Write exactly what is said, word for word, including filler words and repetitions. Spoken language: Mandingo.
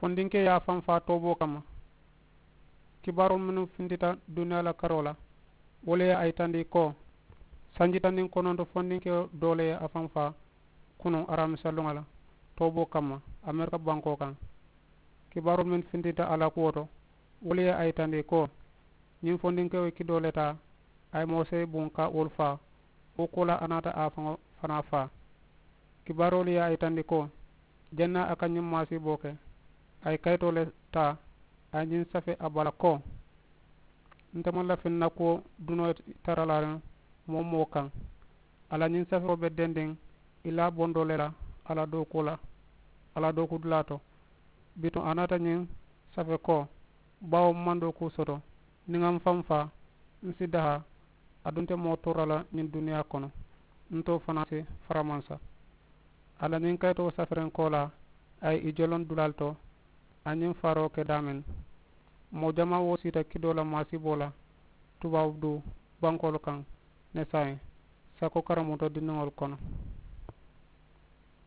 Fondinkee ye a faŋ faa tooboo kamma. Kibaaroolu mennu fintita duniyaa la karoo la, wolu ye a yitandi ko sanji taŋ niŋ kononto fondinkee doo le ye a faŋ faa kunuŋ aramisa luŋo la tooboo kamma amerika bankoo kaŋ. Kibaaroolu mennu fintita a la kuwo to, wolu ye a yitandi ko ñiŋ fondinkewo ye kidoo le taa, a ye moo seyi buŋ ka wolu faa. Wo kuwo la a naata a faŋo fanaa faa. Kibaaroolu ye a yitandi ko janna a ka ñiŋ maasiiboo ke, a ye kayitoo le taa, a ye ñiŋ safe a bala ko nte maŋ lafi n na kuwo dunoo ye tara laariŋ moo-wo-moo kaŋ. A la ñiŋ safewo be dendiŋ i la bondoo le la a la dookuu la, a la dookuu dulaa to. Bituŋ a naata ñiŋ safe ko baawo m maŋ dookuu soto, niŋ ŋa m faŋ faa, m si dahaa. Aduŋ nte moo toora la ñiŋ duniyaa kono, n too fanaa si faramansa. A la ñiŋ kayitoo safiriŋ koolaa, a ye i joloŋ dulaalu to. A ñiŋ faaroo ke daameŋ, moo jamaa wo siita kidoo la maasiiboo la tubaabu duu bankoolu kaŋ ne saayiŋ sako karamuto dindiŋolu kono.